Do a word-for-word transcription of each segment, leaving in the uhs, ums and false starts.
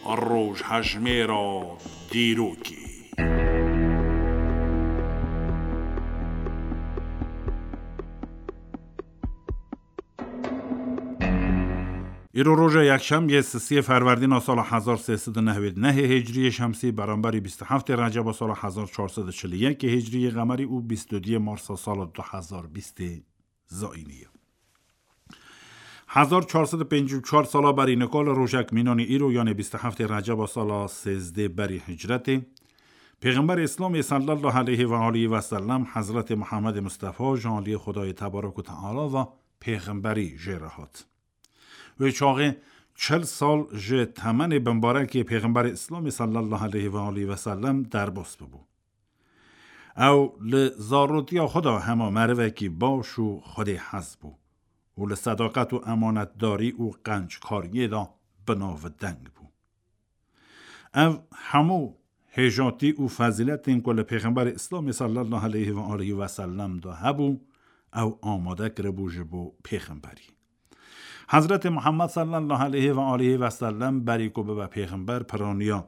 Rojhejmêra dîrokê. Îro roja yekşemiyê, sisiyê Ferwerdîna sala hezar sê sed û nehwêd nehê Hicriyê Şemsî, beramberî bîst û heftê Receba sala hezar çar sed û çil û yekê Hicriyê Qemerî û bîst û duyê Marsa sala du hezar bîstê Zayînî ye. Hezar çar sed û pêncî û çar sala berî nika li rojek mînanî îro, yanê bîst û heftê Receba sala sêzdê berî hicretê, Pêxemberê Îslamê sallallahu aleyhi ve aleyhi ve sellem, Hezretê Muhammedê Mustefa, ji aliyê Xwedayê Tebarek û Teala ve pêxemberî jê re hat. Wê çaxê çil sal ji temenê bimbarekê Pêxemberê Îslamê sallallahu aleyhi ve aleyhi ve sellem derbas bibû. Ew li zarotiya xwe de hema merivekî baş û Xwedê hez bû û li sedaqet û emanetdarî û qenckariyê de bi navdeng bû. Ev hemû hêjatî û fezîletên ku li Pêxemberê Îslamê sallallahu aleyhi ve aleyhi ve sellem de hebû, ew amade kiribû ji bo pêxemberî. Hezretê Muhammed sallallahu aleyhi ve aleyhi ve sellem berî ku bibe pêxember, piraniya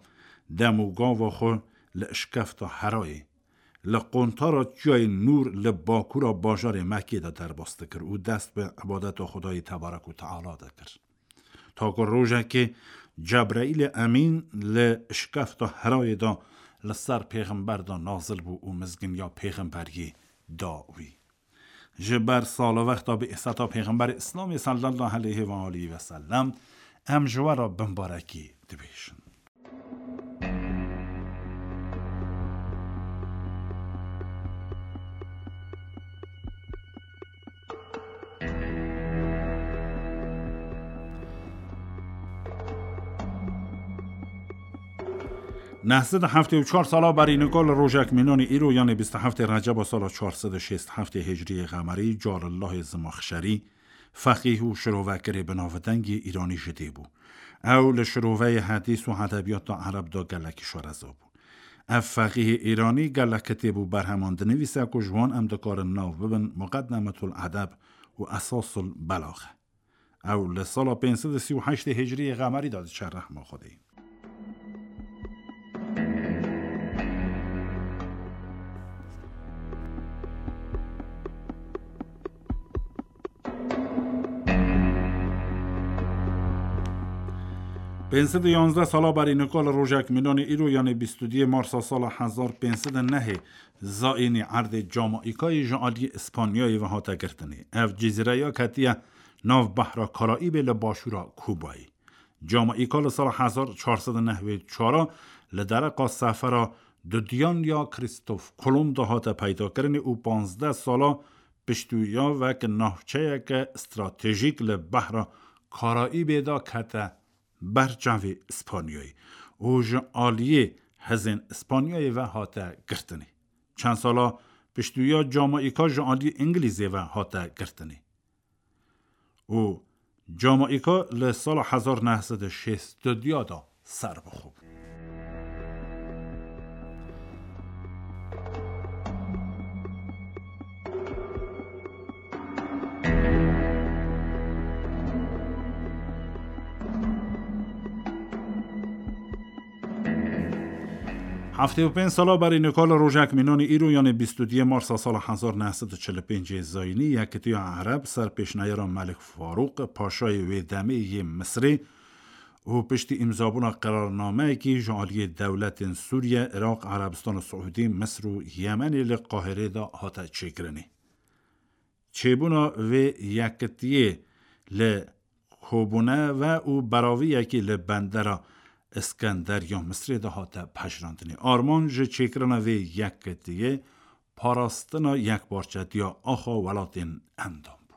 dem û gava xwe li Işkefta Herayê, li qontara Çiyayê Nûr, li bakûra bajarê Mekkê de derbas dikir û dest bi ibadeta Xwedayê Tebarek û Teala dikir. Ta ku rojekê Cebraîlê Emîn li Işkefta Herayê de li ser pêxember de nazil bû û mizginiya pêxemberiyê da wî. Ji ber salvexta bi'seta Pêxemberê Îslamê sallallahu aleyhi ve aleyhi ve sellem, em ji we re bimbarekî dibêjin. Neh sed û heftê û çar sala berî nika li rojek mînanî îro, yanê bîst û heftê Receba sala çar sed û şêst û heftê Hicriyê Qemerî, Calillahê Zimaxşerî, feqîh û şirovekerê bi navdengê Îranî ji dê bû. Ew li şiroveyê hedîs û edebiyata ereb de gelekî şareza bû. Ev feqîhê Îranî gelek kitêb û berheman dinivîse ku ji wan em dikarin nav bibin Muqeddemetul Edeb û Esasul Belaxe. Ew li sala pênc sed û sî û heştê Hicriyê Qemerî de diçe rehma Xwedê. Pênc sed û yanzdeh sala berî nika li rojek mînanê îro, yanê bîst û duyê Marsa sala hezar pênc sed û nehê Zayînî, erdê Camaîkayê ji aliyê Îspanyayê ve hate girtinê. Ev cizîreya ketiye nav behra Karaîbê li başûra Kubayê. Camaîka li sala hezar çar sed û nehwê çar a li dereqa sefera dudiyan ya Krîstof Kolomb de hate peydakirinê û panzdeh sala piştûya wek navçeyeke stratejîk li behra Karaîbê de kete ber çavê Îspanyayê û ji aliyê hezên Îspanyayê ve hate girtinê. Çend sala piştûya Camaîka ji aliyê Îngilîzê ve hate girtinê. Û Camaîka li sala hezar neh sed û şêst û duya de serbixwe bû. Heftê û pênc sala berî nika li rojek mînanî îro, yanê bîst û duyê Marsa sala hezar neh sed û çil û pêncê Zayînî, Yekitiya Ereb ser pêşneyara Melik Farûq, paşayê wê demê yê Misirê, û piştî îmzabûna qerarnameyekî ji aliyê dewletên Sûriye, Iraq, Erebistana Siûdî, Misir û Yemenê li Qahirê de hate çêkirinê. Çêbûna vê yekitiyê li kobûne ve û beraviyekî li bendera Îskender ya Misirê de hate pejirandinê. Armanc ji çêkirina vê yekitiyê parastina yekparçetiya axa welatên endam bû.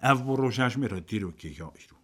Ev bû rojhejmêra dîrokê ya îro.